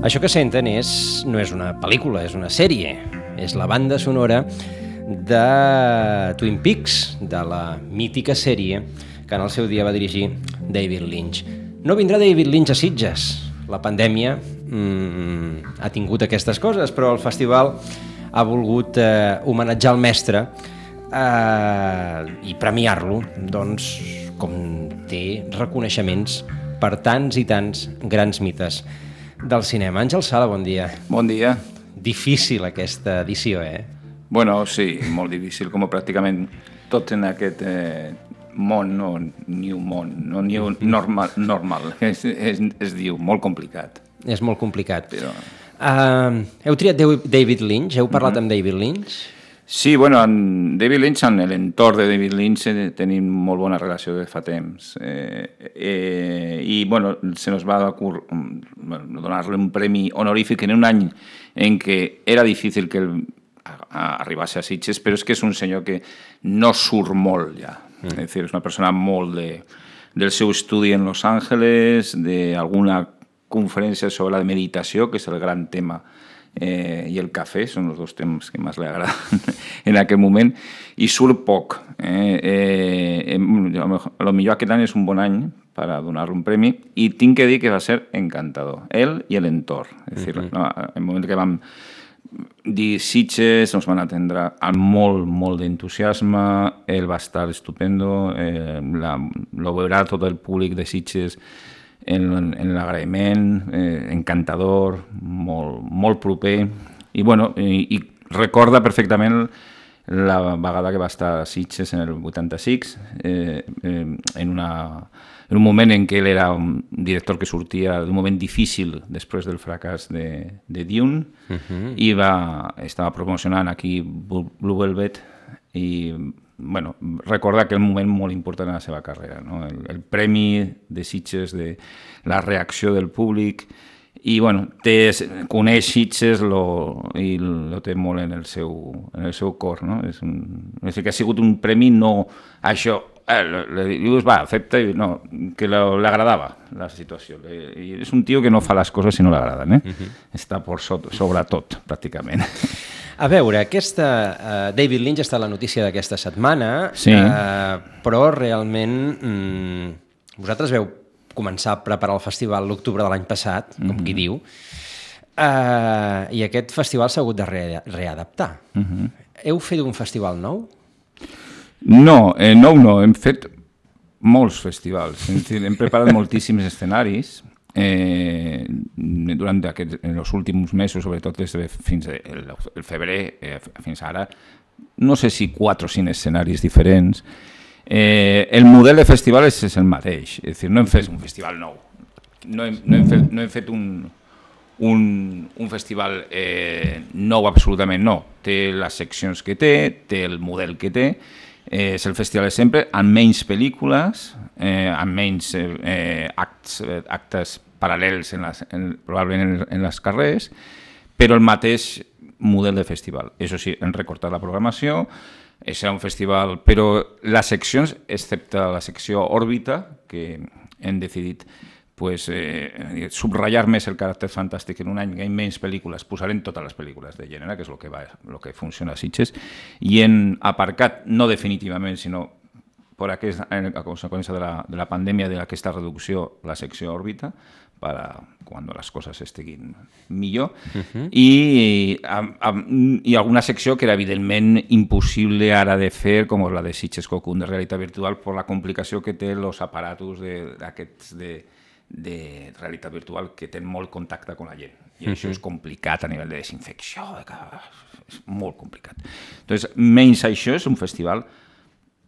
Això que senten no és una pel·lícula, és una sèrie. És la banda sonora de Twin Peaks, de la mítica sèrie que en el seu dia va dirigir David Lynch. No vindrà David Lynch a Sitges. La pandèmia ha tingut aquestes coses, però el festival ha volgut homenatjar el mestre i premiar-lo, doncs, com té reconeixements per tants i tants grans mites del cinema. Àngel Sala, bon dia. Bon dia. Difícil aquesta edició, Bueno, sí, molt difícil, com pràcticament tot en aquest món, no new món, no new normal. Es diu, molt complicat. És molt complicat. Però... heu triat David Lynch? Heu parlat amb David Lynch? Sí, bueno, amb David Lynch, amb l'entorn de David Lynch tenim molt bona relació de fa temps. I, bueno, se nos va donar-li un premi honorífic en un any en què era difícil que arribés a Sitges, però és que és un senyor que no surt molt ja. És a dir, és una persona molt del seu estudi en Los Angeles, d'alguna conferència sobre la meditació, que és el gran tema, i el cafè, són els dos temes que més li agraden en aquell moment, i surt poc. A lo millor aquest any és un bon any per donar-li un premi, i tinc que dir que va ser encantador, ell i l'entorn. És a dir, no, el moment que vam dir Sitges, ens van atendre amb molt d'entusiasme, ell va estar estupendo, lo veurà tot el públic de Sitges en l'agraïment, encantador, molt proper, i bueno, i recorda perfectament la vegada que va estar a Sitges en el 86, en un moment en què ell era un director que sortia d'un moment difícil després del fracàs de Dune, i estava promocionant aquí Blue Velvet, i bueno, recorda aquell moment molt important en la seva carrera, no? El premi de Sitges, de la reacció del públic, i bueno, coneix Sitges i lo té molt en el seu cor, no? És que ha sigut un premi, no això, dius, va, accepta, no, que l'agradava la situació, i és un tio que no fa les coses si no l'agraden, està per sobre tot, pràcticament. A veure, David Lynch està a la notícia d'aquesta setmana, sí. Però realment vosaltres veu començar a preparar el festival l'octubre de l'any passat, com qui diu, i aquest festival s'ha hagut de readaptar. Heu fet un festival nou? No, hem fet molts festivals, hem preparat moltíssims escenaris, durant en els últims mesos, sobretot fins al febrer, fins ara, no sé si 4 o 5 escenaris diferents. El model de festival és el mateix, és a dir, no hem fet un festival nou, no hem fet un festival nou absolutament, no. Té les seccions que té el model que té, és el festival de sempre, amb menys pel·lícules, amb menys actes paral·lels probablement en les carrers, però el mateix model de festival. Això sí, hem recortat la programació, serà un festival, però les seccions, excepte la secció òrbita, que hem decidit subratllar més el caràcter fantàstic en un any que hi ha menys pel·lícules, posarem totes les pel·lícules de gènere, que és el que funciona a Sitges, i hem aparcat, no definitivament, sinó a conseqüència de la pandèmia, d'aquesta reducció, la secció òrbita, per quan les coses estiguin millor, i alguna secció que era evidentment impossible ara de fer, com la de Sitges Cocoon de realitat virtual, per la complicació que té els aparatos d'aquests de realitat virtual, que tenen molt contacte amb la gent, i això és complicat a nivell de desinfecció, és molt complicat. Doncs menys això, és un festival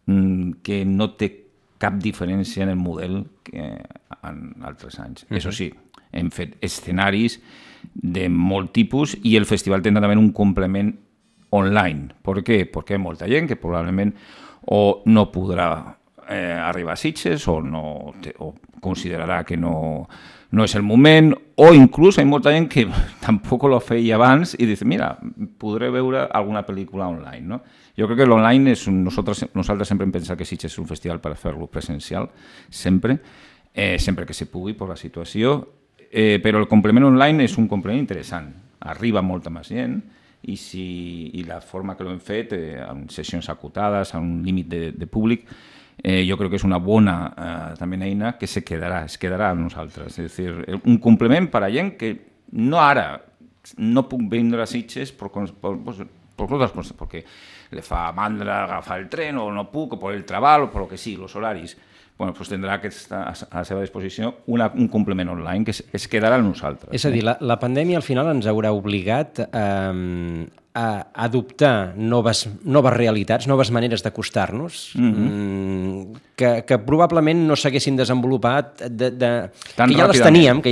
que no té cap diferència en el model que en altres anys. Això sí, hem fet escenaris de molt tipus, i el festival tindrà també un complement online. Per què? Perquè hi ha molta gent que probablement o no podrà arribar a Sitges, o considerarà que no és el moment, o inclús hi ha molta gent que tampoc lo feia abans i diu, mira, podré veure alguna pel·lícula online, no? Jo crec que l'online nosaltres sempre hem pensat que Sitges és un festival per fer-lo presencial, sempre que se pugui per la situació, però el complement online és un complement interessant. Arriba molta més gent i la forma que l'hem fet, amb sessions acotades, amb un límit de públic, jo crec que és una bona també eina que es quedarà amb nosaltres. És a dir, un complement per a gent que no ara no puc vindre a Sitges por otras cosas, porque le fa mandra agafar el tren o no puc, o por el treball o por lo que sigui, los horaris. Bueno, pues tindrà que estar a la seva disposició un complement online que es quedarà amb nosaltres. És a dir, la pandèmia al final ens haurà obligat a adoptar noves realitats, noves maneres d'acostar-nos, que probablement no s'haguessin desenvolupat, que ja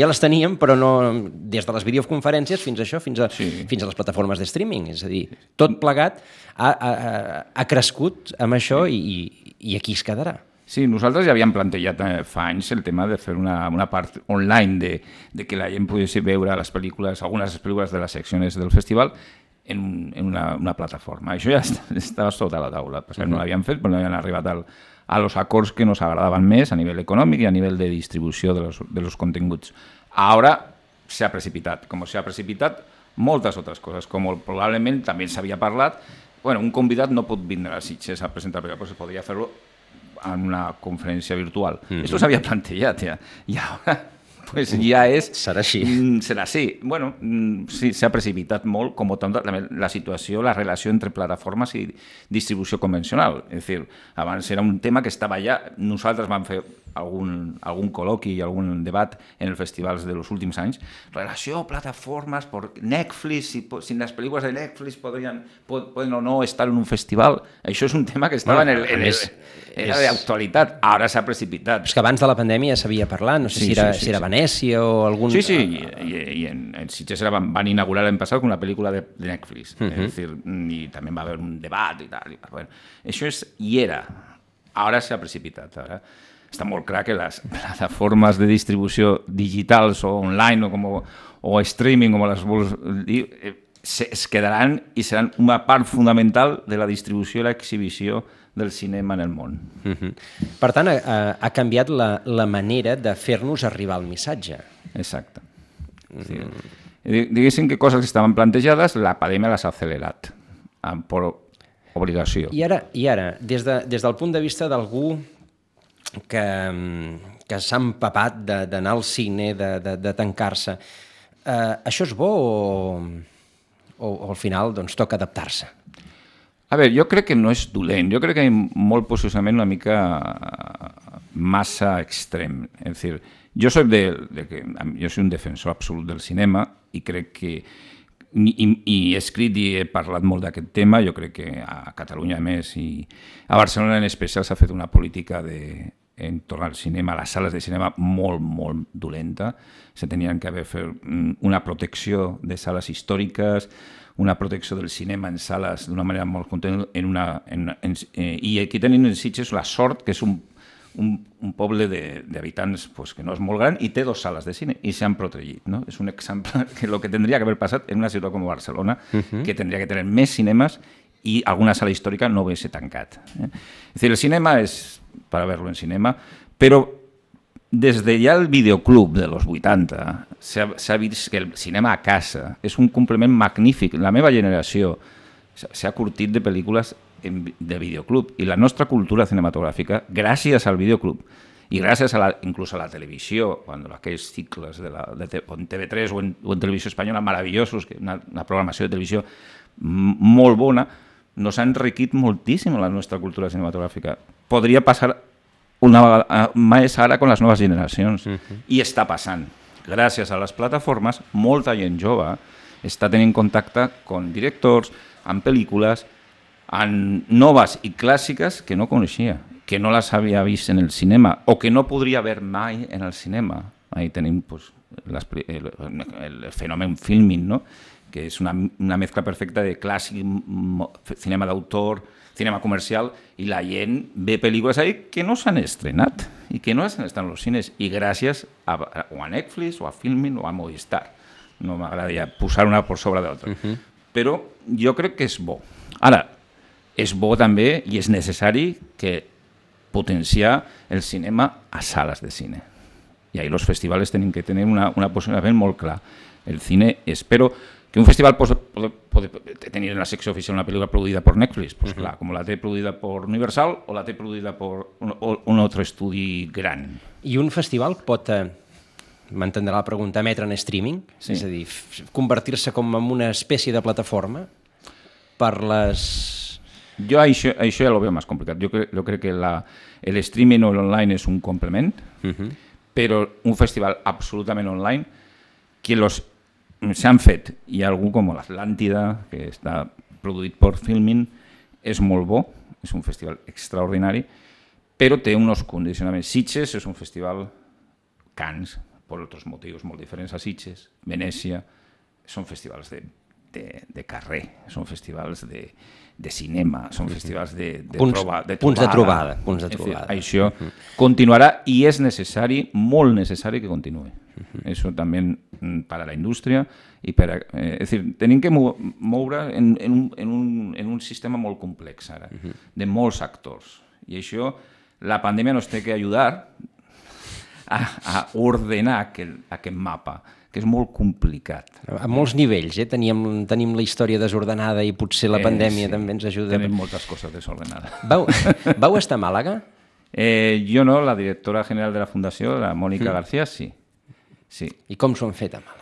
les teníem, però no des de les videoconferències fins a això, fins a les plataformes de streaming. És a dir, tot plegat ha crescut amb això i aquí es quedarà. Sí, nosaltres ja havíem plantejat fa anys el tema de fer una part online de que la gent pogués veure les pel·lícules, algunes pel·lícules de les seccions del festival en una plataforma. Això ja estava sota la taula. No l'havíem fet, però no havien arribat a los acords que nos agradaven més a nivell econòmic i a nivell de distribució de los continguts. Ara s'ha precipitat, com s'ha precipitat moltes altres coses, com probablement també s'havia parlat. Un convidat no pot vindre a Sitges a presentar, però podria fer-lo en una conferència virtual. Esto s'havia plantejat ja. I ara pues ja és... Serà així. Serà així. Sí, s'ha precipitat molt, com també la situació, la relació entre plataformes i distribució convencional. És a dir, abans era un tema que estava allà. Nosaltres vam fer algun col·loqui i algun debat en els festivals dels últims anys. Relació, plataformes, Netflix, si les pel·lícules de Netflix poden o no estar en un festival. Això és un tema que estava era d'actualitat. Ara s'ha precipitat. És que abans de la pandèmia s'havia parlat, no sé si era Venècia o algun... Sí, i en Sitges van inaugurar l'any passat una pel·lícula de Netflix. És dir, i també va haver un debat i tal. Això hi era. Ara s'ha precipitat. Ara està molt clar que les plataformes de distribució digitals o online o streaming, com les vols dir, es quedaran i seran una part fundamental de la distribució i l'exhibició del cinema en el món. Per tant, ha canviat la manera de fer-nos arribar el missatge. Exacte. Diguéssim que coses que estaven plantejades, la pandèmia les ha accelerat per obligació. I ara, des del punt de vista d'algú que s'ha empapat d'anar al cine, de tancar-se, això és bo o al final toca adaptar-se? A veure, jo crec que no és dolent, jo crec que hi ha molt posicionament una mica massa extrem. És dir, jo soy un defensor absolut del cinema i crec que, i he escrit i he parlat molt d'aquest tema, jo crec que a Catalunya a més i a Barcelona en especial s'ha fet una política entorn al cinema, a les sales de cinema molt, molt dolenta. Se tenien que haver fet una protecció de sales històriques, una protecció del cinema en sales d'una manera molt contenta, i aquí tenim en Sitges la sort que és un poble d'habitants que no és molt gran i té 2 sales de cine i s'han protegit. És un exemple que el que tindria que haver passat en una ciutat com Barcelona, que tindria que tenir més cinemes i alguna sala històrica no hagués tancat. És dir, el cinema és per a veure-lo en cinema, però des de ja el videoclub de los 80 s'ha vist que el cinema a casa és un complement magnífic. La meva generació s'ha curtit de pel·lícules de videoclub i la nostra cultura cinematogràfica, gràcies al videoclub i gràcies inclús a la televisió, quan aquells cicles de TV3 o en televisió espanyola meravellosos, una programació de televisió molt bona, nos ha enriquit moltíssim la nostra cultura cinematogràfica. Podria passar més ara amb les noves generacions. I està passant. Gràcies a les plataformes, molta gent jove està tenint contacte amb directors, amb pel·lícules, amb noves i clàssiques que no coneixia, que no les havia vist en el cinema o que no podria haver mai en el cinema. Ahí tenim el fenomen Filmin, que és una mescla perfecta de clàssic, cinema d'autor, cinema comercial, i la gent ve pel·lícules ahí que no s'han estrenat i que no s'han estrenat als cines, i gràcies a Netflix o a Filmin o a Movistar. No m'agradaria posar una per sobre de l'altra. Però jo crec que és bo. Ara, és bo també i és necessari que potenciar el cinema a sales de cine. Y ahí los festivales tienen que tener una posición muy clara. El cine, espero que un festival puede tener en la secció oficial una pel·lícula produïda per Netflix, pues clar, com la té produïda per Universal o la té produïda per un altre estudi gran. I un festival pot, m'entendrà la pregunta, emetre en streaming? Sí. És a dir, convertir-se com en una espècie de plataforma per les... Jo això ja lo veo más complicat. Jo crec que el streaming o l'online és un complement, però un festival absolutament online que s'han fet, i algú com l'Atlàntida, que està produït per Filmin, és molt bo, és un festival extraordinari, però té uns condicionaments. Sitges és un festival Cannes, per altres motius molt diferents a Sitges, Venècia, són festivals de carrer, són festivals de cinema, són festivals de trobada. Punts de trobada. Això continuarà i és necessari, molt necessari que continuï. Eso también para la indústria i per és dir, tenim que moure en un sistema molt complex ara, de molts actors. I això, la pandèmia nos té que ajudar a ordenar aquest mapa, que és molt complicat. A molts nivells, tenim la història desordenada i potser la pandèmia també ens ajuda. Tenim moltes coses desordenades. Vau estar a Màlaga? Jo no, la directora general de la Fundació, la Mònica García, sí. I com s'ho han fet a Màlaga?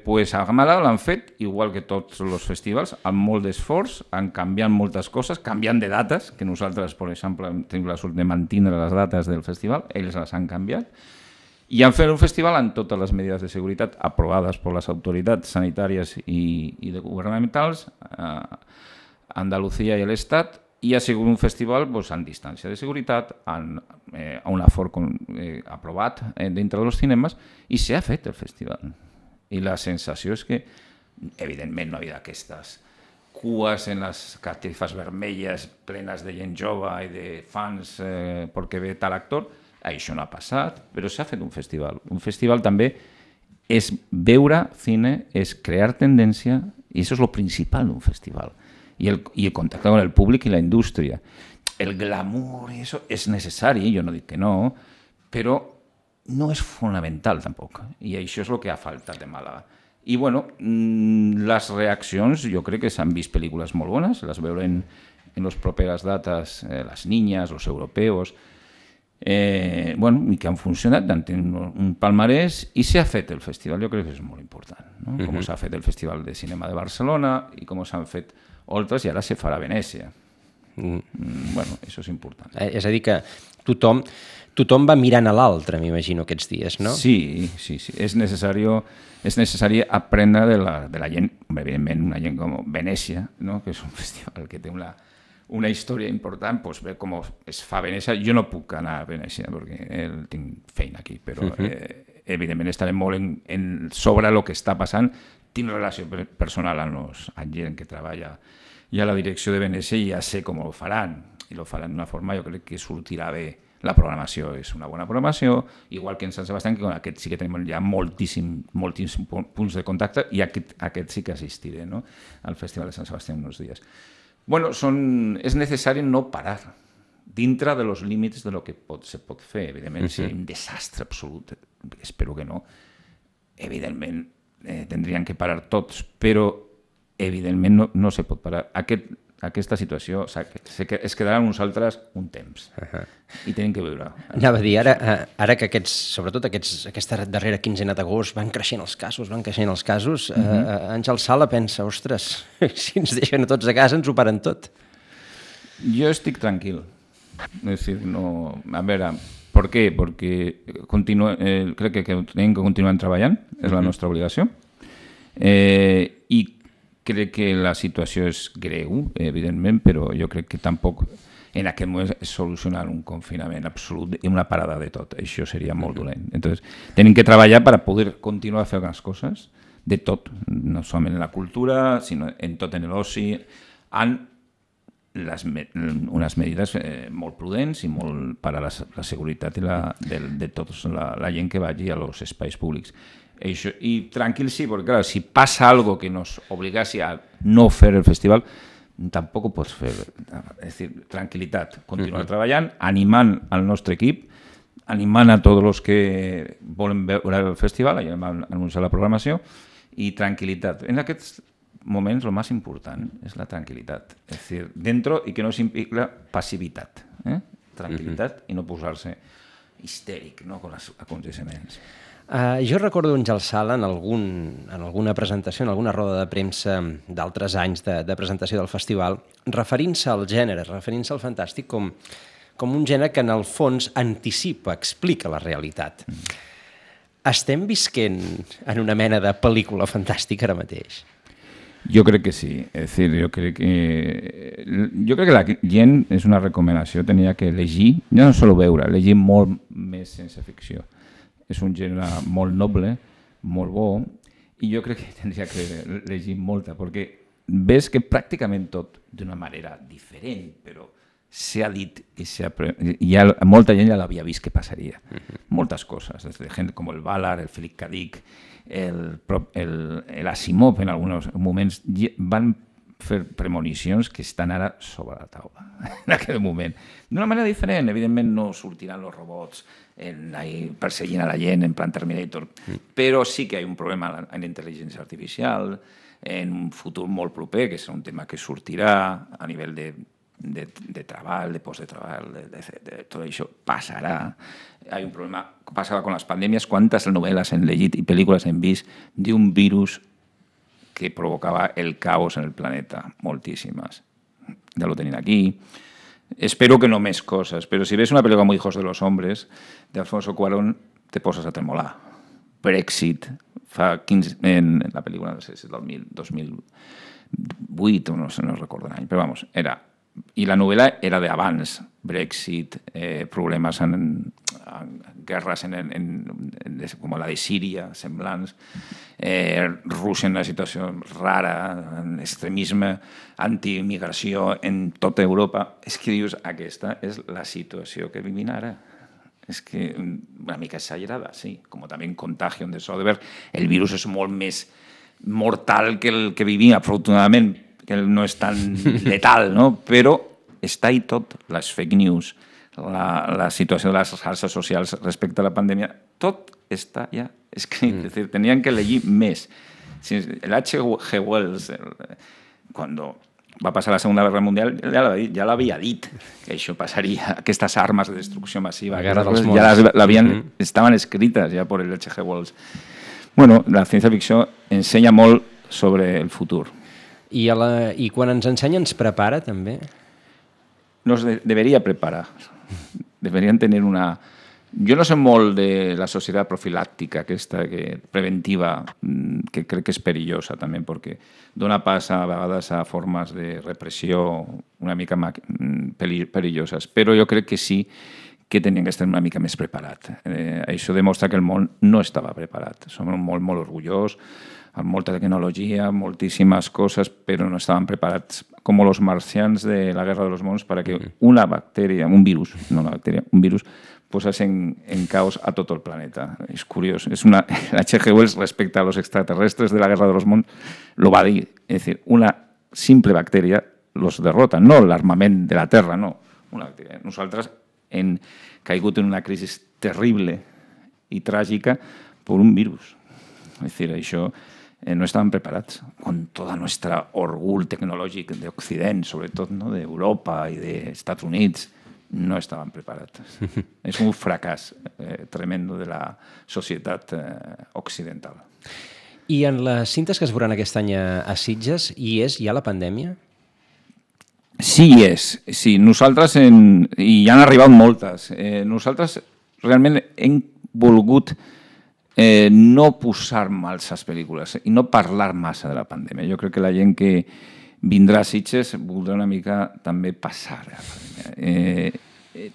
Pues a Màlaga l'han fet, igual que tots els festivals, amb molt d'esforç, han canviat moltes coses, canviant de dates, que nosaltres, per exemple, tenim la sort de mantenir les dates del festival, ells les han canviat, i han fet un festival amb totes les mesures de seguretat aprovades per les autoritats sanitàries i governamentals, Andalucía i l'Estat, i ha sigut un festival amb distància de seguretat, amb un afort aprovat dintre dels cinemes, i s'ha fet el festival. I la sensació és que, evidentment, no hi havia aquestes cues en les catifes vermelles plenes de gent jove i de fans perquè ve tal actor. Això no ha passat, però s'ha fet un festival. Un festival també és veure cine, és crear tendència, i això és el principal d'un festival. I el contacte amb el públic i la indústria. El glamour, això és necessari, jo no dic que no, però no és fonamental tampoc. I això és el que ha faltat de Màlaga. I bueno, les reaccions, jo crec que s'han vist pel·lícules molt bones, les veurem en les properes dates, Les Niñas, Los Europeos, i que han funcionat, han tingut un palmarès i s'ha fet el festival, jo crec que és molt important, no? Com s'ha fet el Festival de Cinema de Barcelona i com s'han fet altres, i ara se farà a Venècia. Bueno, això és important. És a dir, que tothom va mirant a l'altre, m'imagino, aquests dies, no? Sí. És necessari aprendre de la gent, evidentment, una gent com Venècia, no? Que és un festival que té una història important, doncs ver com es fa a Venècia. Jo no puc anar a Venècia perquè tinc feina aquí, però evidentment estaré molt sobre el que està passant. Tinc relació personal amb gent que treballa i a la direcció de Venècia i ja sé com ho faran. I ho faran d'una forma, jo crec que sortirà bé. La programació és una bona programació, igual que en Sant Sebastián, que aquest sí que tenim ja moltíssims punts de contacte, i aquest sí que assistiré, no? Al Festival de Sant Sebastián uns dies. Bueno, és necessari no parar dintre dels límits de lo que se pot fer. Evidentment, si hi ha un desastre absolut, espero que no, evidentment tindrien que parar tots, però evidentment no se pot parar. Aquesta situació es quedarà amb nosaltres un temps i tenim que viure. Anava a dir, ara que sobretot aquesta darrera quinzena d'agost van creixent els casos, Àngel Sala pensa, ostres, si ens deixen a tots a casa ens ho paren tot. Jo estic tranquil. És dir, no... A veure, per què? Perquè crec que tenim que continuar treballant, és la nostra obligació, i crec que la situació és greu, evidentment, però jo crec que tampoc en aquest moment és solucionar un confinament absolut i una parada de tot. Això seria molt dolent. Entonces, tenim que treballar per poder continuar fent les coses, de tot, no solament en la cultura, sinó en tot en l'oci, amb unes medides molt prudents i molt per a la seguretat de tota la gent que vagi als espais públics. Això, i tranquil sí, perquè clar, si passa algo que nos obligasi a no fer el festival, tampoc ho pots fer. És dir, tranquil·litat, continuar treballant, animant el nostre equip animant a tots els que volen veure el festival, ja vam anunciar la programació, i tranquil·litat. En aquests moments el més important és la tranquil·litat. És a dir, dentro i que no s'implica passivitat. Tranquil·litat i no posar-se histèric, no, amb els aconteciments. Jo recordo en Àngel Sala en alguna presentació, en alguna roda de premsa d'altres anys de presentació del festival, referint-se al gènere, referint-se al fantàstic com un gènere que en el fons anticipa, explica la realitat. Estem visquent en una mena de pel·lícula fantàstica ara mateix? Jo crec que sí. És dir, jo crec que la gent, és una recomanació, tenia que llegir, ja no sol veure, llegir molt més sense ficció. És un gènere molt noble, molt bo, i jo crec que tindria que llegir molta, perquè ves que pràcticament tot d'una manera diferent, però s'ha dit i molta gent ja l'havia vist que passaria. Moltes coses, des de gent com el Ballard, el Philip K. Dick, l'Asimov en alguns moments van fer premonicions que estan ara sobre la taula en aquell moment. D'una manera diferent, evidentment no sortiran els robots perseguint a la gent en plan Terminator, però sí que hi ha un problema en la intel·ligència artificial, en un futur molt proper, que és un tema que sortirà a nivell de treball, de post de treball, de tot això passarà. Hi ha un problema que passava amb les pandèmies, quantes novel·les hem llegit i pel·lícules hem vist d'un virus que provocava el caos en el planeta, moltíssimes. Ja lo tenim aquí. Espero que no més coses, però si ves una pel·lícula como Hijos de los Hombres, de Alfonso Cuarón, te poses a tremolar. Brexit, en la pel·lícula, no sé si és del 2008 o no sé, no recordo l'any, però vamos, era... I la novel·la era d'abans, Brexit, problemes en guerres com la de Síria, semblants, Rússia en una situació rara, extremisme, antiimigració en tota Europa. És que dius, aquesta és la situació que vivim ara. És que una mica exagerada, sí, com també en Contagion de Soderbergh, el virus és molt més mortal que el que vivim, afortunadament, que no és tan letal, no? Però està ahí tot, les fake news, la situació de les xarxes socials respecte a la pandèmia, tot està ja escrit. És a dir, tenien que llegir més. L'H.G. Wells, quan va passar la Segona Guerra Mundial, ja l'havia dit, que això passaria, aquestes armes de destrucció massiva, ja estaven escrites ja per l'H.G. Wells. Bueno, la ciència-ficció ensenya molt sobre el futur. I quan ens ensenya ens prepara també? Nos deberia preparar. Deberien tenir una... Jo no sé molt de la societat profilàctica, aquesta preventiva, que crec que és perillosa també, perquè dona pas a vegades a formes de repressió una mica perilloses, però jo crec que sí que tenien que estar una mica més preparat. Això demostra que el món no estava preparat. Som molt, molt orgullós, amb molta tecnologia, moltíssimes coses, però no estaven preparats com els marcians de la Guerra de los Mons perquè una bactèria, un virus, no una bactèria, un virus, posés en caos a tot el planeta. És curiós. H.G. Wells respecte a los extraterrestres de la Guerra de los Mons lo va dir. És dir, una simple bactèria los derrota, no l'armament de la Terra, no. Una bactèria. Nosaltres hem caigut en una crisi terrible i tràgica per un virus. És dir, això... no estaven preparats, con todo nuestro orgullo tecnológico de Occidente, sobre todo, ¿no? De Europa y de Estados Unidos, no estaven preparats. És un fracàs tremendo de la societat occidental. I en les cintes que es veuran aquest any a Sitges, hi és ja la pandèmia? Sí, hi és. Sí, nosaltres, i ja han arribat moltes, nosaltres realment hem volgut no posar mals a les pel·lícules i no parlar massa de la pandèmia. Jo crec que la gent que vindrà a Sitges voldrà una mica també passar a la pandèmia.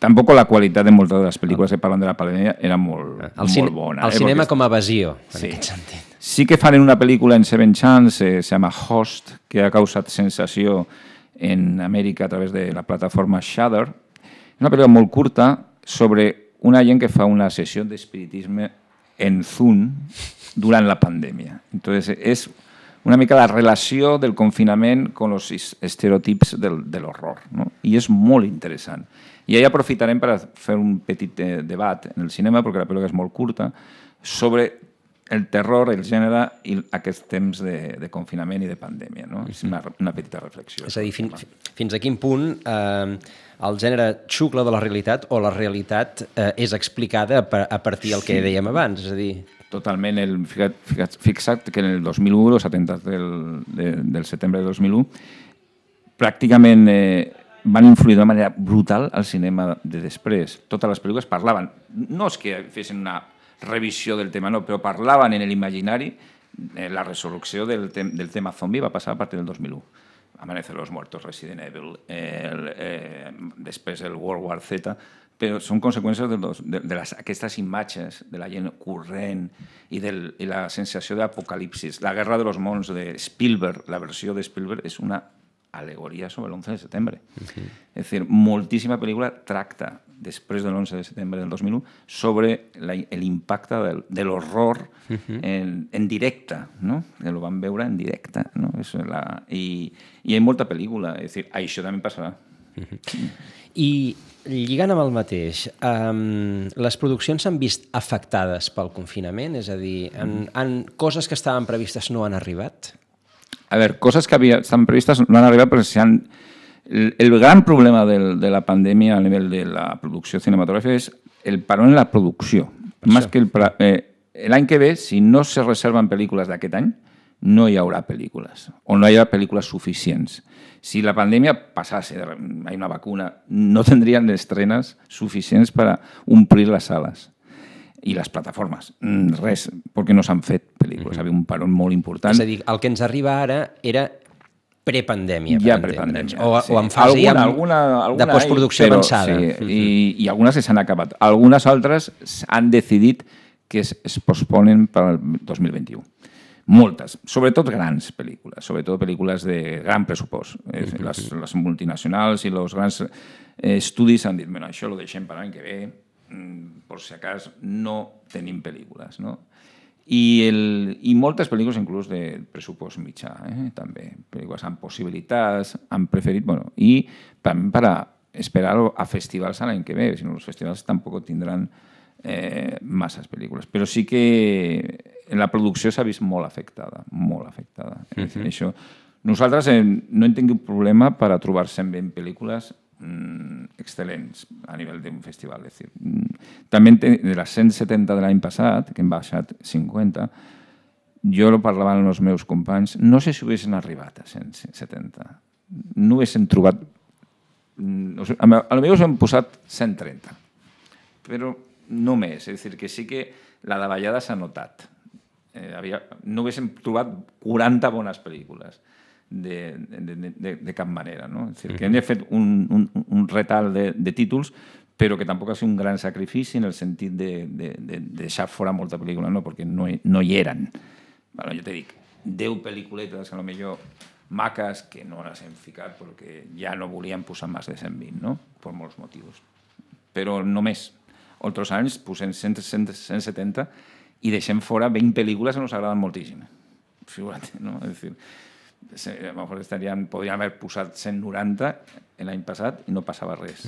Tampoc la qualitat de moltes de les pel·lícules que parlen de la pandèmia era molt bona. El cinema com a evasió, en aquest sentit. Sí que fan una pel·lícula en Seven Chance, se llama Host, que ha causat sensació en Amèrica a través de la plataforma Shudder. És una pel·lícula molt curta sobre una gent que fa una sessió d'espiritisme en Zoom durant la pandèmia. Entonces, és una mica la relació del confinament con los estereotips de l'horror, ¿no? I és molt interessant. I ahí aprofitarem per fer un petit debat en el cinema, perquè la pel·lícula és molt curta, sobre el terror, el gènere i aquests temps de confinament i de pandèmia. No? És una petita reflexió. És a dir, fins a quin punt el gènere xucla de la realitat o la realitat és explicada a partir del que dèiem abans? És a dir... Totalment. Fixa't que en el 2001, els atemptats del setembre de 2001, pràcticament van influir d'una manera brutal al cinema de després. Totes les pel·lícules parlaven, no és que fessin una revisió del tema, no, però parlaven en l'imaginari. La resurrecció del tema zombi va passar a partir del 2001. Amanecer los Muertos, Resident Evil, després el World War Z, però són conseqüències d'aquestes imatges de la gent corrent i la sensació d'apocalipsis. La Guerra de los Mons de Spielberg, la versió de Spielberg, és una alegoria sobre l'11 de setembre. És dir, moltíssima pel·lícula tracta, després de l'11 de setembre del 2001, sobre l'impacte de l'horror en directe, no? Que ho van veure en directe. No? I hi ha molta pel·lícula. És dir, això també passarà. I lligant amb el mateix, les produccions s'han vist afectades pel confinament? És a dir, coses que estaven previstes no han arribat? A veure, coses que estaven previstes no han arribat perquè el gran problema de la pandèmia a nivell de la producció cinematogràfica és el parón en la producció. Més que l'any que ve, si no se reserven pel·lícules d'aquest any, no hi haurà pel·lícules, o no hi haurà pel·lícules suficients. Si la pandèmia passase, hi ha una vacuna, no tindrien estrenes suficients per omplir les sales i les plataformes. Res, perquè no s'han fet pel·lícules. Hi havia un parón molt important. És a dir, el que ens arriba ara era prepandèmia. Ja prepandèmia. O en fase de postproducció avançada. Sí, i algunes s'han acabat. Algunes altres han decidit que es posponen per al 2021. Moltes, sobretot grans pel·lícules, sobretot pel·lícules de gran pressupost. Les multinacionals i els grans estudis han dit, bueno, això ho deixem per l'any que ve, per si acas no tenim pel·lícules, no? I moltes pel·lícules inclús de pressupost mitjà, també. Pel·lícules amb possibilitats, han preferit, bueno, i també per esperar a festivals l'any que ve, si no els festivals tampoc tindran masses pel·lícules. Però sí que en la producció s'ha vist molt afectada, molt afectada. Això. Nosaltres no hem tingut problema per a trobar 120 pel·lícules excel·lents a nivell d'un festival. És dir, també de les 170 de l'any passat, que hem baixat 50, jo ho parlava amb els meus companys, no sé si haguessin arribat a 170. No haguessin trobat... Potser hem posat 130, però no més. És a dir, que sí que la davallada s'ha notat. No haguéssim trobat 40 bones pel·lícules de cap manera. No? És a dir, que hem fet un retal de títols, però que tampoc ha sigut un gran sacrifici en el sentit de deixar fora molta pel·lícula, no? Perquè no hi eren. Bueno, jo te dic, 10 pel·lículetes, a lo millor maques, que no les hem ficat perquè ja no volíem posar més de 120, no? Per molts motius. Però només. Altres anys posem 170 i deixem fora 20 pel·lícules que ens agraden moltíssim. Figura't, no? És dir, a lo mejor podríem haver posat 190 l'any passat i no passava res.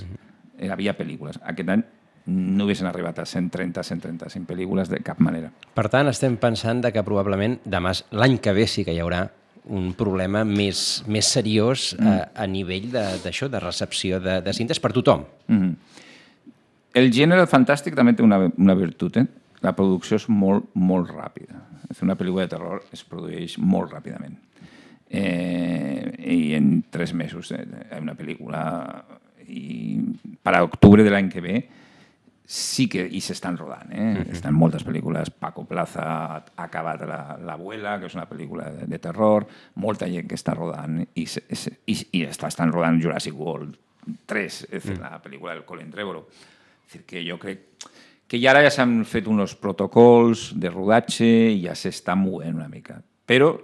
Hi havia pel·lícules. Aquest any no haguessin arribat a 130, 135 pel·lícules de cap manera. Per tant, estem pensant que probablement l'any que ve sí que hi haurà un problema més seriós a nivell d'això, de recepció de cintes per tothom. El gènere fantàstic també té una virtut. La producció és molt, molt ràpida. Una pel·lícula de terror es produeix molt ràpidament. I en 3 mesos una pel·lícula... I per a octubre de l'any que ve sí que s'estan rodant. Estan moltes pel·lícules. Paco Plaza ha acabat L'Abuela, que és una pel·lícula de terror. Molta gent que està rodant. I estan rodant Jurassic World 3, la pel·lícula del Colin Trevorrow. És a dir, que jo crec que ara ja s'han fet uns protocols de rodatge i ja s'està movent una mica. Però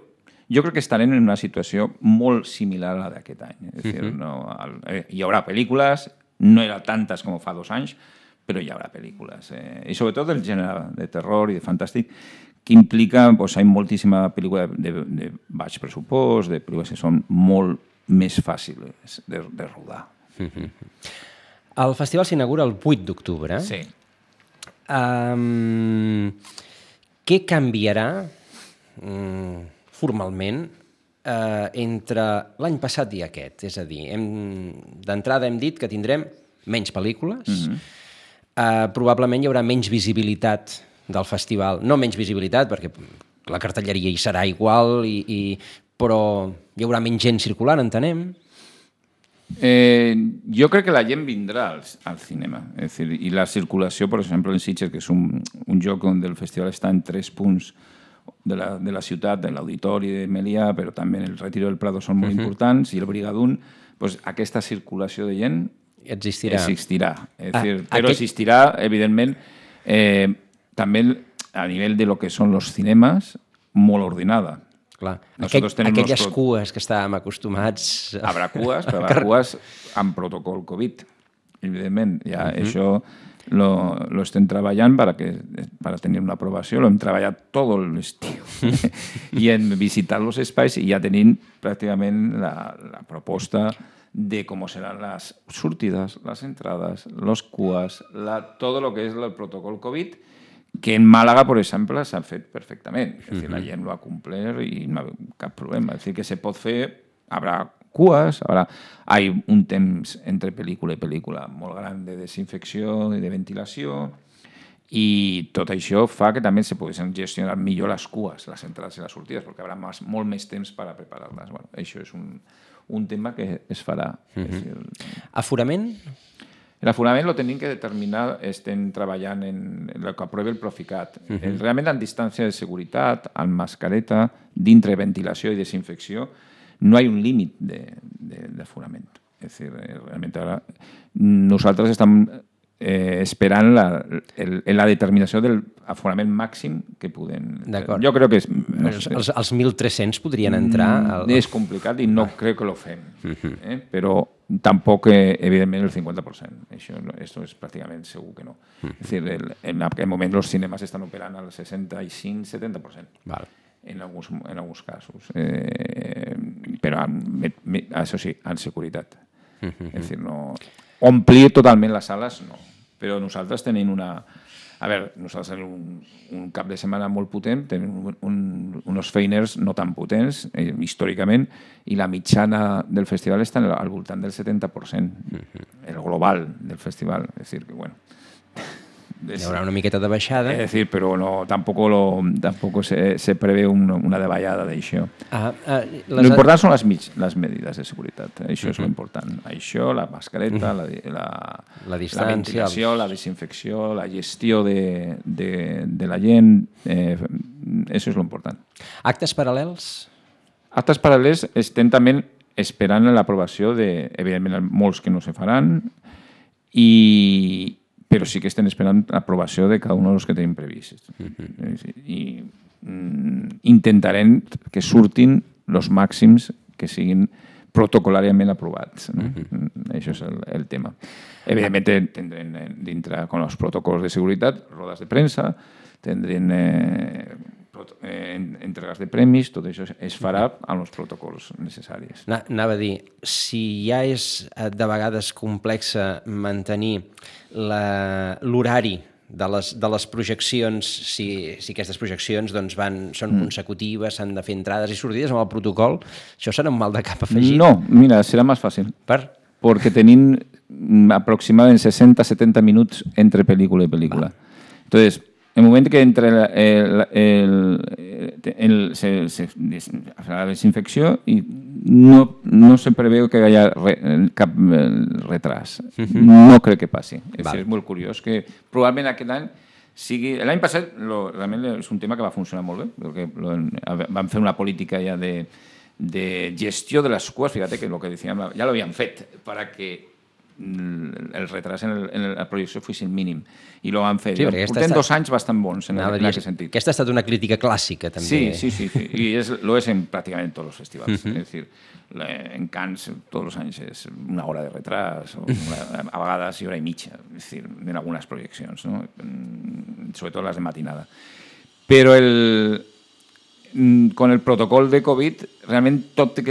jo crec que estarem en una situació molt similar a la d'aquest any. És a dir, hi haurà pel·lícules, no hi haurà tantes com fa 2 anys, però hi haurà pel·lícules. I sobretot del gènere de terror i de fantàstic, que implica, hi ha moltíssima pel·lícula de baix pressupost, de pel·lícules que són molt més fàcils de rodar. El festival s'inaugura el 8 d'octubre. Sí. Què canviarà formalment entre l'any passat i aquest? És a dir, d'entrada hem dit que tindrem menys pel·lícules, probablement hi haurà menys visibilitat del festival. No menys visibilitat, perquè la cartelleria hi serà igual, però hi haurà menys gent circulant, entenem. Jo crec que la gent vindrà al cinema. És dir, i la circulació, per exemple, en Sitges, que és un lloc on el festival està en 3 punts de la ciutat, de l'Auditori de Melià, però també el Retiro del Prado són molt importants, i el Brigadún, doncs aquesta circulació de gent existirà. Però existirà, evidentment, també a nivell de lo que són els cinemes, molt ordenada. Clar, aquelles cues que estàvem acostumats... Habrà cues, però habrà cues amb protocol Covid, evidentment. Ja això lo estem treballant para tenir una aprovació. Lo hem treballat tot l'estiu i en visitar els espais i ja tenim pràcticament la proposta de com seran les sortides, les entrades, les cues, tot el que és el protocol Covid, que en Màlaga, per exemple, s'ha fet perfectament. És dir, la gent lo ha complert i no hi ha cap problema. És dir, que se pot fer, habrà cues, hi ha un temps entre pel·lícula i pel·lícula molt gran de desinfecció i de ventilació, i tot això fa que també se poguessin gestionar millor les cues, les entrades i les sortides, perquè hi haurà molt més temps per a preparar-les. Bueno, això és un tema que es farà. Aforament? L'aforament lo tenim que determinar, estem treballant en el que aprovi el Proficat. Realment, en distància de seguretat, amb mascareta, dintre ventilació i desinfecció, no hi ha un límit d'aforament. És a dir, realment ara nosaltres estem esperant la determinació del aforament màxim que podem... D'acord. Jo crec que... Els 1.300 podrien entrar... És complicat i no crec que lo fem. Però tampoc, evidentment, el 50%. Això és pràcticament segur que no. És dir, en aquest moment els cinemes estan operant al 65-70%. Val. En alguns casos. Però, això sí, en seguretat. És dir, no... Omplir totalment les sales, no. Però nosaltres tenim nosaltres tenim un cap de setmana molt potent, tenim uns feiners no tan potents, històricament, i la mitjana del festival està al voltant del 70%, el global del festival. És dir, que, bueno... Hi haurà una miqueta de baixada. És dir, però tampoc se prevé una davallada d'això. L'important són les medides de seguretat. Això és l'important. Això, la mascareta, la ventilació, la desinfecció, la gestió de la gent, això és l'important. Actes paral·lels? Actes paral·lels estem també esperant l'aprovació de, evidentment, molts que no se faran, però sí que estem esperant l'aprovació de cada un dels que tenim previstos. I intentarem que surtin els màxims que siguin protocolàriament aprovats. Això és el tema. Evidentment, tindrem dintre, amb els protocols de seguretat, rodes de premsa, tindrem entregues de premis, tot això es farà amb els protocols necessaris. Anava a dir, si ja és de vegades complexa mantenir l'horari de les projeccions, si aquestes projeccions són consecutives, s'han de fer entrades i sortides amb el protocol, això serà un mal de cap afegit? No, mira, serà més fàcil. Perquè tenim aproximadament 60-70 minuts entre pel·lícula i pel·lícula. Entonces, en el moment que entra la desinfecció i no se preveu que hi hagi cap retras. No crec que passi. És molt curiós que probablement aquest any sigui... L'any passat realment és un tema que va funcionar molt bé, perquè vam fer una política ja de gestió de les cues, fíjate que el que decíem ja lo habían fet para que el retras en la projecció fos mínim i lo van fer. Portem 2 anys bastant bons en aquest sentit. Aquesta ha estat una crítica clàssica també. Sí, i lo és en pràcticament tots els festivals. És dir, en Cannes tots els anys és 1 hora de retras, a vegades 1 hora i mitja, és dir, en algunes projeccions, sobretot les de matinada. Però con el protocol de Covid realment tot té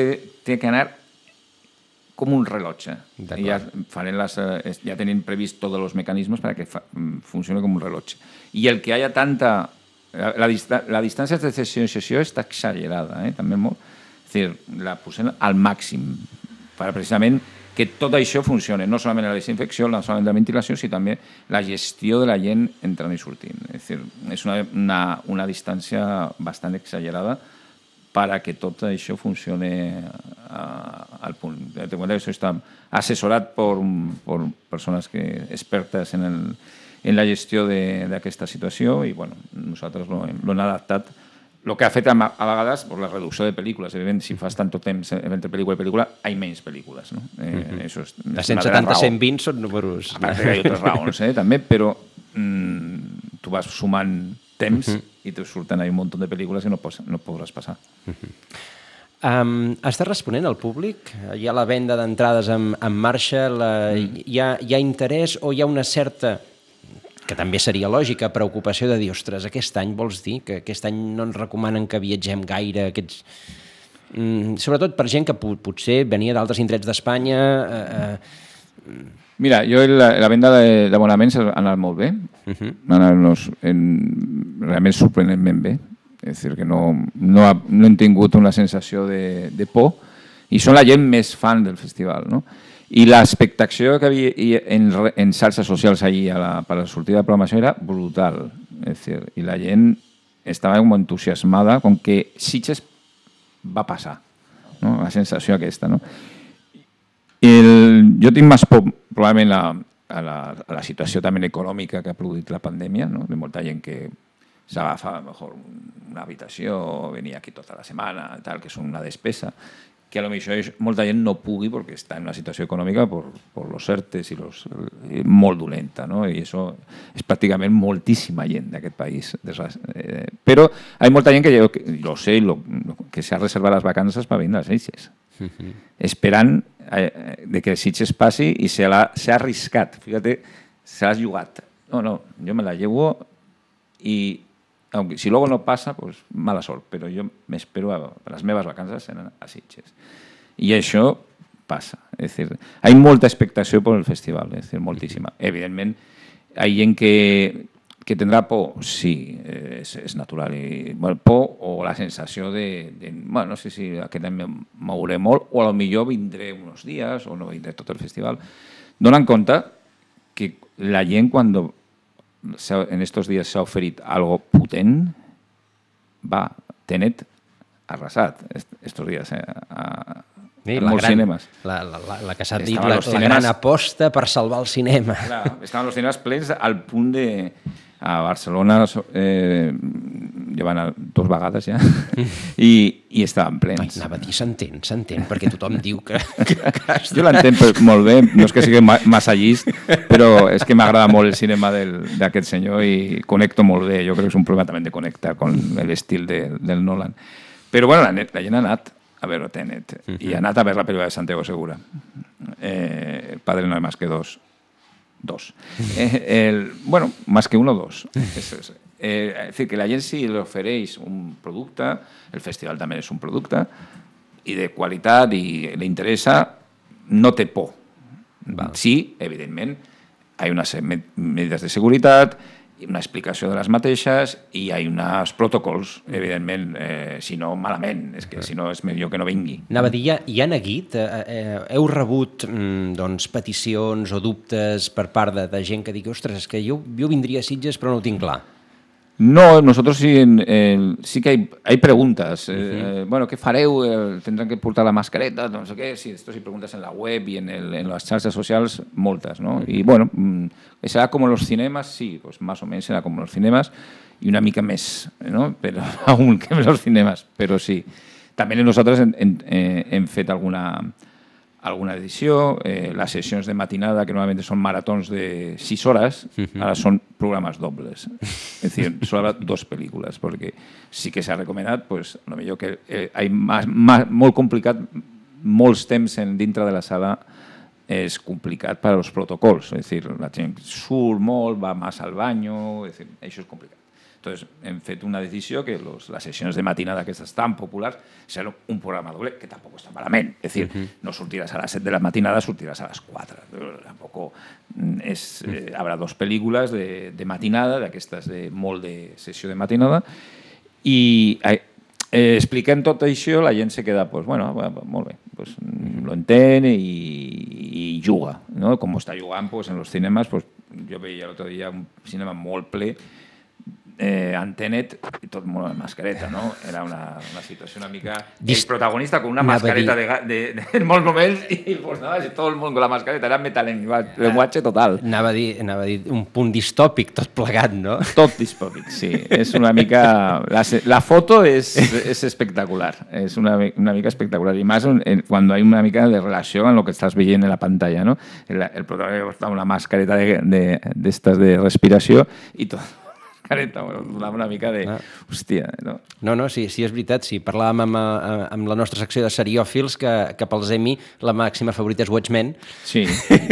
que anar com un rellotge. I ja tenim previst tots els mecanismes perquè funcioni com un rellotge. I el que hi ha tanta... La distància de sessió està exagerada, també molt. És a dir, la posem al màxim per precisament que tot això funcioni, no solament la desinfecció, no solament la ventilació, sinó també la gestió de la gent entrant i sortint. És a dir, és una distància bastant exagerada perquè tot això funcioni al punt. Això està assessorat per persones expertes en la gestió d'aquesta situació i nosaltres l'hem adaptat. El que ha fet a vegades la reducció de pel·lícules. Evidentment, si fas tant temps entre pel·lícula i pel·lícula, hi ha menys pel·lícules. De 170 a 120 són números. A part que hi ha altres raons, també, però tu vas sumant temps i te surten un munt de pel·lícules i no podràs passar. Està responent al públic? Hi ha la venda d'entrades en marxa? Hi ha interès o hi ha una certa... que també seria lògica, preocupació de dir, ostres, aquest any vols dir que aquest any no ens recomanen que viatgem gaire, sobretot per gent que potser venia d'altres indrets d'Espanya. Mira, jo la venda d'abonaments ha anat molt bé, realment sorprenentment bé, és a dir, que no hem tingut una sensació de por i són la gent més fan del festival, no? I l'expectació que havia en xarxes socials ahir per la sortida de programació era brutal. És dir, i la gent estava molt entusiasmada com que Sitges va passar, no? La sensació aquesta. No? Jo tinc més por probablement a la situació també econòmica que ha produït la pandèmia, no? De molta gent que s'agafa una habitació, venia aquí tota la setmana, tal, que és una despesa, que a lo millor molta gent no pugui perquè està en una situació econòmica per los ERTEs i molt dolenta, no? I això és pràcticament moltíssima gent d'aquest país. Però hi ha molta gent que jo sé que s'ha reservat les vacances per vindre a Sitges, esperant que Sitges passi i s'ha arriscat. Fíjate, s'ha jugat. No, jo me la llevo i aunque si luego no pasa, pues mala sort, però jo m'espero a les meves vacances a Sitges. I això passa. És dir, hi ha molta expectació per el festival, és dir, moltíssima. Evidentment, hi ha gent que tindrà por, sí, és natural. Por o la sensació no sé si aquest any mouré molt, o potser vindré uns dies, o no vindré tot el festival. Donen compte que la gent, quan en estos días se ha oferido algo potente, Tenet arrasat estos días a molts cinemes. La que s'ha dit, la gran aposta per salvar el cinema. Clar, estaven els cinemes plens al punt de... A Barcelona llevan 2 vegades ja i estaven plens. Anava a dir, s'entén, perquè tothom diu que... Jo l'entenc molt bé, no és que sigui massa llist, però és que m'agrada molt el cinema d'aquest senyor i connecto molt bé. Jo crec que és un problema també de connectar amb l'estil del Nolan. Però bueno, la gent ha anat a veure Tenet i ha anat a veure la pel·lícula de Santiago Segura. El padre no hay más que dos. Bueno, más que uno, 2. Es decir, que la gent si li ofereix un producte, el festival també és un producte, i de qualitat i li interessa, no té por. Sí, evidentment, hi ha unes medidas de seguretat, una explicació de les mateixes i hi ha uns protocols, evidentment, si no, malament, és que si no és millor que no vingui. Anava a dir, hi ha neguit? Heu rebut peticions o dubtes per part de gent que digui, ostres, és que jo vindria a Sitges però no ho tinc clar? No, nosotros sí que hay preguntas. Bueno, ¿qué fareu? ¿Tendrán que portar la mascareta? No sé qué. Sí, esto sí preguntas en la web y en las xarxes socials, moltes, ¿no? Y bueno, será como los cinemas, sí, pues más o menos será como los cinemas y una mica més, ¿no? Pero aún que los cinemas, pero sí. También nosotros hem fet alguna edició, les sessions de matinada, que normalment són maratons de 6 hores, ara són programes dobles. És a dir, solo habrá 2 pel·lícules, perquè sí que s'ha recomanat, pues, a lo millor que molt complicat, molts temps dintre de la sala és complicat per als protocols. És a dir, la gent surt molt, va massa al banyo, és a dir, això és complicat. Entonces, hem fet una decisió que les sessions de matinada aquestes tan populars seran un programa doble, que tampoc està malament. És dir, no sortiràs a les 7 de la matinada, sortiràs a les 4. Tampoc habrà 2 pel·lícules de matinada, d'aquestes molt de sessió de matinada, i expliquem tot això, la gent se queda, pues, bueno, molt bé, pues, lo entén i juga, no? Com està jugant, pues, en los cinemas, pues, jo veia l'altre dia un cinema molt ple, Antenet, i tot molt amb mascareta, no? Era una situació una mica... El protagonista con una mascareta en molts moments i pues nada, tot el món con la mascareta, era metalenguatge total. Anava a dir un punt distòpic tot plegat, no? Tot distòpic, sí. És una mica... La foto és espectacular, és una mica espectacular, i més quan hi ha una mica de relació amb el que estàs veient en la pantalla, no? El protagonista amb una mascareta d'estes de respiració i tot. Donava una mica de... Hòstia, no? No, sí, és veritat, sí. Parlàvem amb la nostra secció de seriòfils que pels Emmy la màxima favorita és Watchmen. Sí.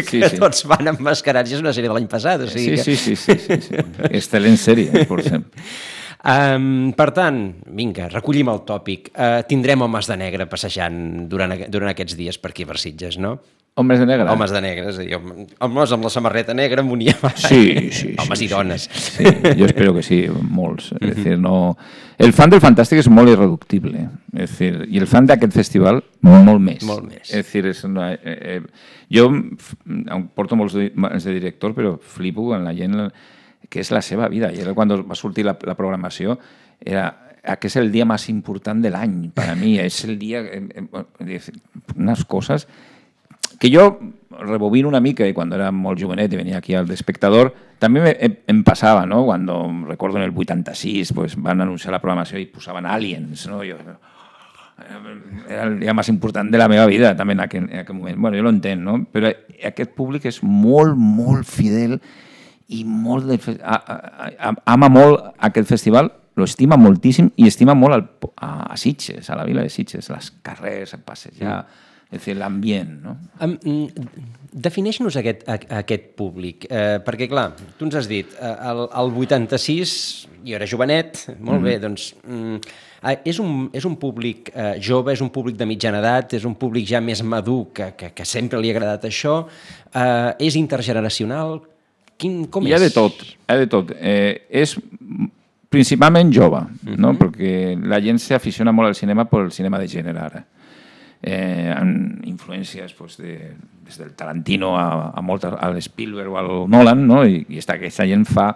Que tots van emmascarats, és una sèrie de l'any passat. Sí. Excel·lent sèrie, per exemple. Per tant, vinga, recollim el tòpic. Tindrem homes de negre passejant durant aquests dies per aquí per Sitges, no? Homes de negre? Homes de negre, és a dir, homes amb la samarreta negra amb un iamà. Sí. Homes i dones. Sí, jo espero que sí, molts. És dir, no... El fan del Fantàstic és molt irreductible. És dir, i el fan d'aquest festival, molt més. Molt més. És dir, jo porto molts de director, però flipo en la gent que és la seva vida. I quan va sortir la programació, aquest és el dia més important de l'any, per a mi. És el dia... Unes coses... que jo rebobino una mica, i quan era molt jovenet i venia aquí al Espectador, també em passava, no? Quan recordo en el 86 pues, van anunciar la programació i posaven Aliens, no? Era el dia més important de la meva vida, també en aquell moment. Bueno, jo lo entenc, no? Però aquest públic és molt, molt fidel i ama molt aquest festival, lo estima moltíssim i estima molt a Sitges, a la vila de Sitges, les carrers, a passejar... És a dir, l'ambient, no? Defineix-nos aquest públic, perquè, clar, tu ens has dit, el 86, jo era jovenet, molt bé, doncs, és un públic jove, és un públic de mitjana edat, és un públic ja més madur, que sempre li ha agradat això, és intergeneracional, com és? Hi ha de tot. És principalment jove, no? Perquè la gent s'aficiona molt al cinema per el cinema de gènere ara. Amb influències des del Tarantino a l'Spielberg o al Nolan, no? I aquesta gent fa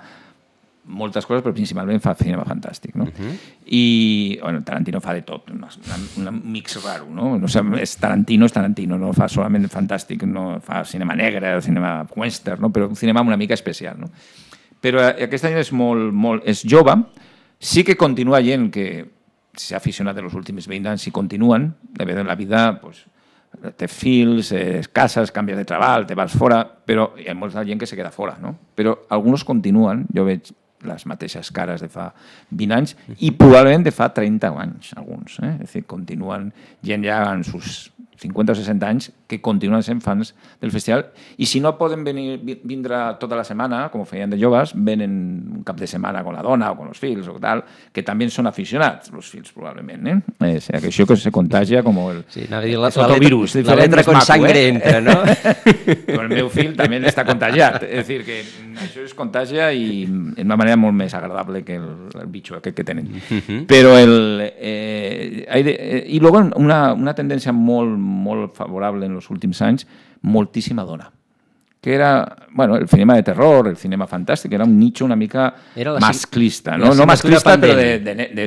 moltes coses, però principalment fa cinema fantàstic, no? I Tarantino fa de tot, un mix raro, no? És Tarantino, no fa solament fantàstic, no fa cinema negre, cinema western, no? Però un cinema una mica especial, no? Però aquesta gent és jove, sí que continua gent que s'ha aficionat en els últims 20 anys i continuen, la vida té fills, cases, canvies de treball, te vas fora, però hi ha molta gent que se queda fora, no? Però alguns continuen, jo veig les mateixes cares de fa 20 anys i probablement de fa 30 anys, alguns. És a dir, continuen gent ja en sus 50 o 60 anys que continuen sent fans del festival i si no poden vindre tota la setmana, com ho feien de joves, venen un cap de setmana con la dona o con els fills o tal, que també són aficionats, els fills probablement. És això que se contagia com el fotovirus. La letra con sangre entra, no? Però el meu fill també està contagiat. És a dir, que això es contagia i d'una manera molt més agradable que el bitxo aquest que tenen. Però i luego una tendència molt favorable en els últims anys, moltíssima dona. Que era, el cinema de terror, el cinema fantàstic, era un nicho una mica masclista, no masclista, però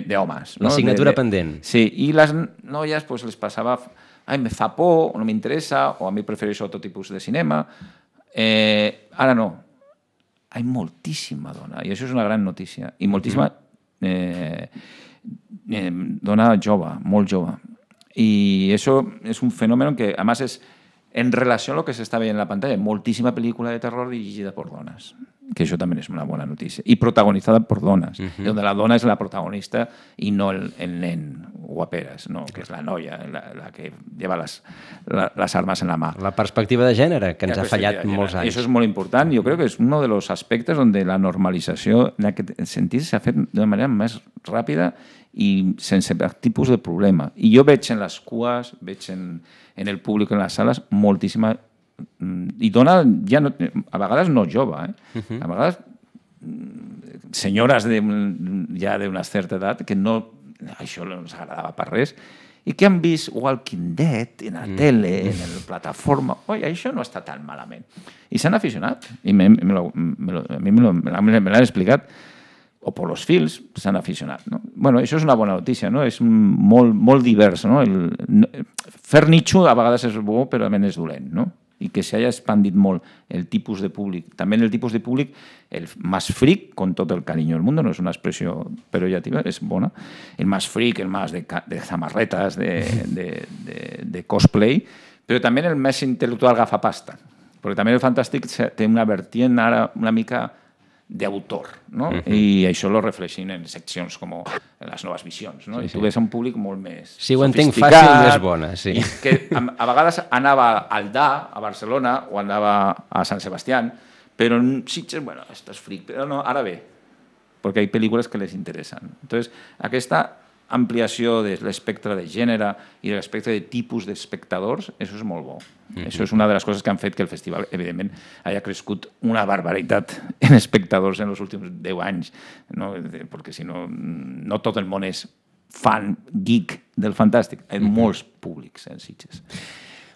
d'homes. La assignatura pendent. Sí, i les noies les passava, me fa por, o no m'interessa, o a mi prefereixo otro tipus de cinema. Ara no. Hi ha moltíssima dona, i això és una gran notícia. I moltíssima dona jove, molt jove. I això és un fenomen que, a més, és en relació a lo que s'està veient en la pantalla. Moltíssima pel·lícula de terror dirigida per dones. que això també és una bona notícia. I protagonitzada per dones, on la dona és la protagonista i no el nen guaperes, no, que és la noia, la que lleva les armes en la mà. La perspectiva de gènere, que ens ha fallat molts anys. Això és molt important. Jo crec que és un dels aspectes on la normalització en aquest sentit s'ha fet d'una manera més ràpida i sense tipus de problema. I jo veig en les cues, veig en el públic en les sales moltíssima i dona, ja no, a vegades no jove, a vegades senyores ja d'una certa edat que no, això no els agradava per res i que han vist Walking Dead en la tele, en la plataforma, oi, això no està tan malament. I s'han aficionat, i a mi me l'han explicat, o per los fils s'han aficionat. No? Bueno, això és una bona notícia, no? És molt divers. No? Fer nicho a vegades és bo, però a més és dolent, no? I que s'hagi expandit molt el tipus de públic. També el tipus de públic, el más freak, con tot el cariño del mundo, no és una expressió pejorativa, és bona. El más freak, el más de samarretes, de cosplay, però també el més intel·lectual gafapasta. Perquè també el fantàstic té una vertiente ara una mica d'autor, no? I això lo reflexin en seccions com les noves visions, no? I tu ves un públic molt més sofisticat. Si ho entenc fàcil, és bona, sí. Que a vegades anava al DA, a Barcelona, o anava a Sant Sebastián, però en Sitges, bueno, estàs fric, però no, ara ve, perquè hi ha pel·lícules que les interessen. Entonces, aquesta ampliació de l'espectre de gènere i de l'espectre de tipus d'espectadors, això és molt bo. Això és una de les coses que han fet que el festival, evidentment, hagi crescut una barbaritat en espectadors en els últims 10 anys, no? Perquè si no, no tot el món és fan, geek del fantàstic. Hi ha molts públics en Sitges.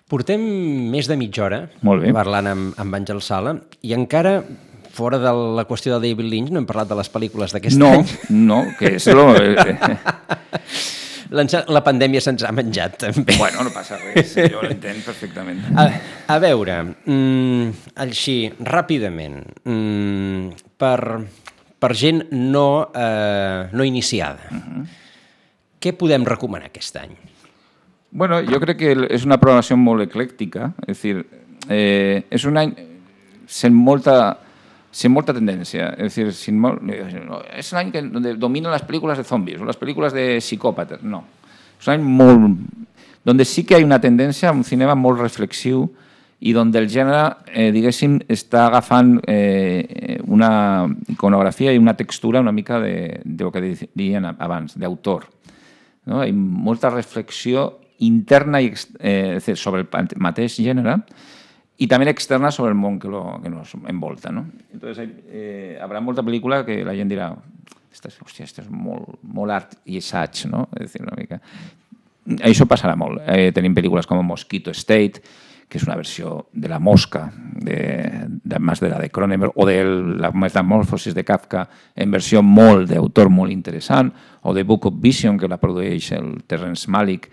Portem més de mitja hora parlant amb Àngel Sala i encara... Fora de la qüestió de David Lynch, no hem parlat de les pel·lícules d'aquest any. No, que és... La pandèmia se'ns ha menjat, també. Bueno, no passa res, jo l'entenc perfectament. A veure, així, ràpidament, per gent no iniciada, què podem recomanar aquest any? Bueno, jo crec que és una programació molt eclèctica, és a dir, és un any sent molta tendència. Es decir, es un any que dominan las películas de zombies o las películas de psicòpates. No. És un any molt... Donde sí que hay una tendència a un cinema molt reflexiu i donde el gènere, diguéssim, està agafant una iconografia i una textura una mica de lo que deien abans, d'autor. No? Hi ha molta reflexió interna sobre el mateix gènere y también externa sobre el món que nos envolta, ¿no? Entonces, habrá molta pel·lícula que la gent dirà hòstia, esto és molt art i assaig, no? És dir, una mica... Això passarà molt. Tenim pel·lícules com Mosquito State, que és una versió de La Mosca, més de la de Cronenberg, o de la Metamorfosis de Kafka, en versió molt d'autor, molt interessant, o de Book of Vision, que la produeix el Terrence Malick,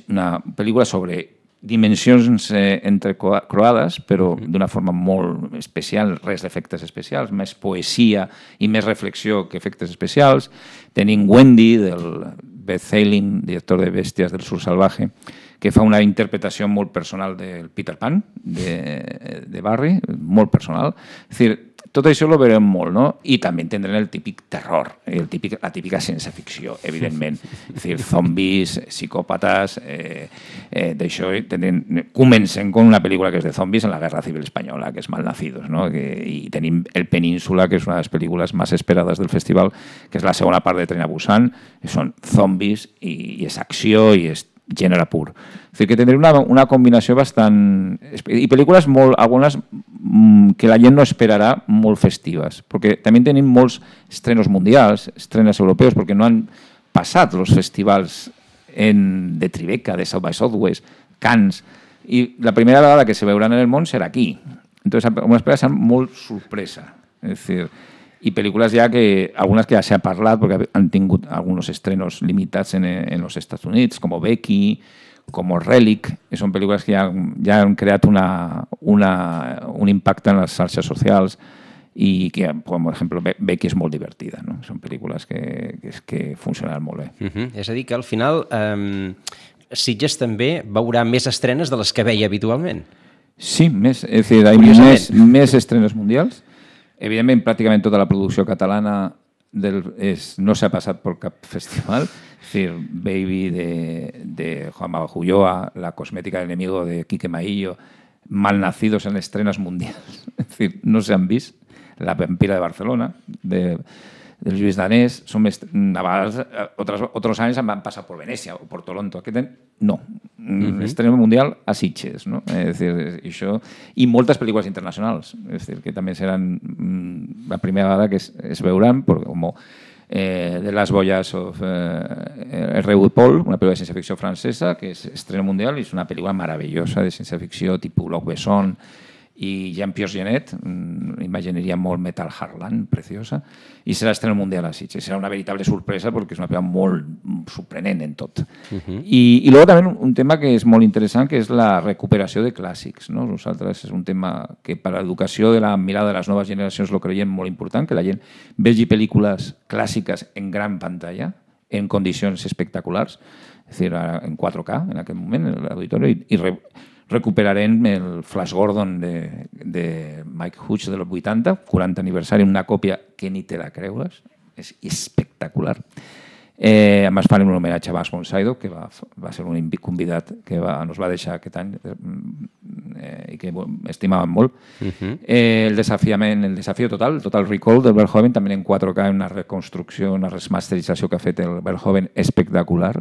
una pel·lícula sobre dimensions entrecroades, però d'una forma molt especial, res d'efectes especials, més poesia i més reflexió que efectes especials. Tenim Wendy, del Beth Hailing, director de Bèsties del Sur Salvaje, que fa una interpretació molt personal del Peter Pan, de Barry, molt personal. És dir, tot això ho veurem molt, no? I també tindrem el típic terror, la típica ciència-ficció, evidentment. És dir, zombis, psicòpates, d'això comencen amb una pel·lícula que és de zombis en la Guerra Civil Espanyola, que és Malnacidos, no? I tenim El Península, que és una de les pel·lícules més esperades del festival, que és la segona part de Tren a Busan, que són zombis i és acció i és gènere pur. És dir, que tindrem una combinació bastant... I pel·lícules molt, algunes que la gent no esperarà, molt festives, perquè també tenim molts estrenos mundials, estrenes europeus, perquè no han passat els festivals de Tribeca, de South by Southwest, Cannes, i la primera vegada que se veuran en el món serà aquí. Entonces, una espera molt sorpresa. És dir, i pel·lícules ja que, algunes que ja s'ha parlat, perquè han tingut alguns estrenos limitats en els Estats Units, com Becky, com Relic, que són pel·lícules que ja han creat un impacte en les xarxes socials i que, com per exemple, Becky és molt divertida, no? Són pel·lícules que funcionaran molt bé. És a dir, que al final Sitges també veurà més estrenes de les que veia habitualment. Sí, més, és a dir, hi ha més estrenes mundials, Evidentment, pràcticament tota la producció catalana no s'ha passat per cap festival. Es decir, Baby de Juan Ulloa, La cosmética del enemigo de Quique Maillo, Malnacidos en estrenas mundials. Es decir, no se han vist. La vampira de Barcelona, de Lluís Danés. A vegades, otros años han pasado por Venecia o por Toronto. No. Estreno mundial a Sitges, ¿no? Es decir, això... I moltes pel·lícules internacionals. Es decir, que també seran la primera vegada que es veuran, com de Las Boyas of R.U. Paul, una pel·lícula de ciència-ficció francesa, que és estreno mundial i és una pel·lícula meravellosa de ciència-ficció tipus Luc Besson i Jean-Pierre Jeunet, imagineria molt Metal Heartland, preciosa, i serà estreno mundial a Sitges. Serà una veritable sorpresa perquè és una pel·lícula molt sorprenent en tot. I luego també un tema que és molt interessant, que és la recuperació de clàssics. Nosaltres és un tema que per a l'educació de la mirada de les noves generacions lo creiem molt important, que la gent vegi pel·lícules clàssiques en gran pantalla, en condicions espectaculars, és a dir, en 4K en aquell moment, en l'auditori, i recuperarem el Flash Gordon de Mike Hughes de los 80, 40 aniversari, una còpia que ni te la creus, és espectacular. A més, farem un homenatge a Max von Sydow, que va ser un convidat que nos va deixar aquest any i que estimàvem molt. El desafío total, Total Recall del Verhoeven, també en 4K, una reconstrucció, una remasterització que ha fet el Verhoeven espectacular.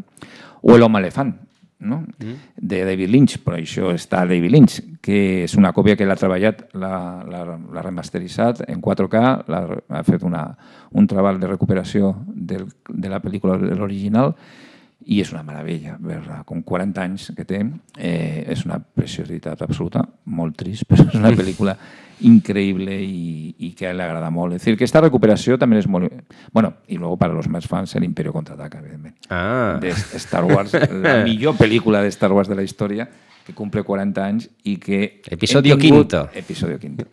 O El home elefant, no? De David Lynch, per això està David Lynch, que és una còpia que l'ha treballat, l'ha remasteritzat en 4K, ha fet un treball de recuperació de la pel·lícula de l'original i és una meravella veure-la. Com 40 anys que té, és una preciositat absoluta, molt trist, però és una pel·lícula increïble i que le agrada molt. Es decir, que esta recuperació també és molt... Bueno, y luego para los más fans, el Imperio Contraataca, evidentment. De Star Wars, la millor pel·lícula de Star Wars de la història, que cumple 40 anys i que... Episodio quinto. Episodio quinto.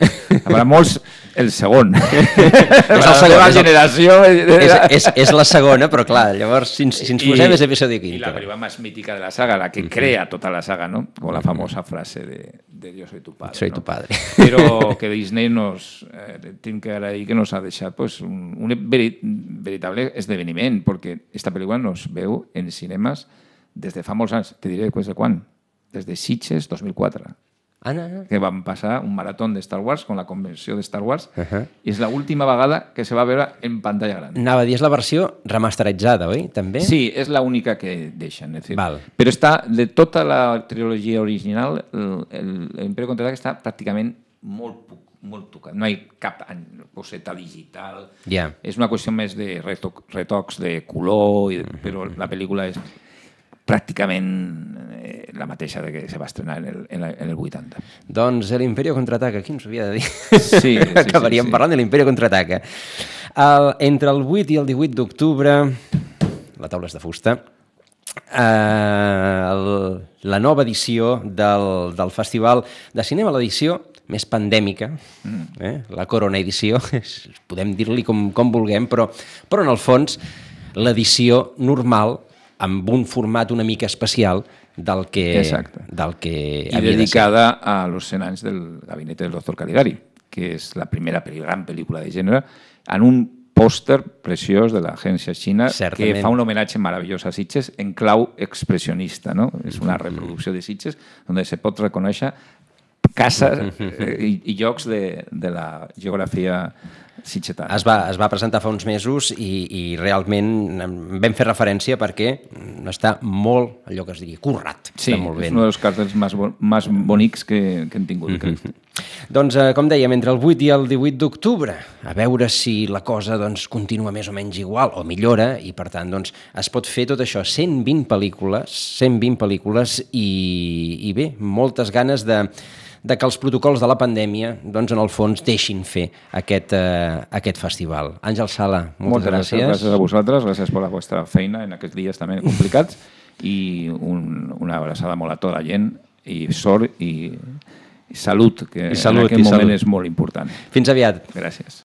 Habrà molts el segon. És la segona generació. És la segona, però clar, llavors si ens posem és episodio quinto. I la pel·lícula més mítica de la saga, la que crea tota la saga, ¿no? Con la famosa frase de Yo soy tu padre. Soy tu padre. Però que Disney tinc que agrair que nos ha deixat un veritable esdeveniment, perquè esta pel·lícula nos veu en cinemes des de fa molts anys. Te diré des de quan? Des de Sitges 2004, que van passar un marató de Star Wars con la convenció de Star Wars i és l'última vegada que se va veure en pantalla gran. Anava a dir, és la versió remasteritzada, oi? També? Sí, és l'única que deixen. Però està, de tota la trilogia original, l'Imperio Contraataca està pràcticament molt tocat. No hi ha cap coseta digital. És una qüestió més de retocs de color, però la pel·lícula és pràcticament la mateixa que se va estrenar en el 80. Doncs l'Imperio Contraataca, qui ens ho havia de dir? Sí. Acabaríem parlant de l'Imperio Contraataca. Entre el 8 i el 18 d'octubre, la taula és de fusta, la nova edició del Festival de Cinema, l'edició més pandèmica, la Corona Edició, podem dir-li com vulguem, però en el fons l'edició normal amb un format una mica especial del que havia dedicada a los 100 anys del gabinete del doctor Caligari, que és la primera gran pel·lícula de gènere, en un pòster preciós de l'agència xina que fa un homenatge meravellós a Sitges en clau expressionista, no? És una reproducció de Sitges on se pot reconèixer cases i llocs de la geografia sitgetana. Es va presentar fa uns mesos i realment vam fer referència perquè està molt, allò que es diria, currat. Sí, és un dels càrtels més bonics que hem tingut. Doncs, com dèiem, entre el 8 i el 18 d'octubre, a veure si la cosa continua més o menys igual o millora i, per tant, es pot fer tot això, 120 pel·lícules i bé, moltes ganes de que els protocols de la pandèmia, en el fons, deixin fer aquest festival. Àngel Sala, moltes gràcies. Gràcies a vosaltres, gràcies per la vostra feina en aquests dies també complicats i una abraçada molt a tota la gent i sort i salut, que en aquest moment és molt important. Fins aviat. Gràcies.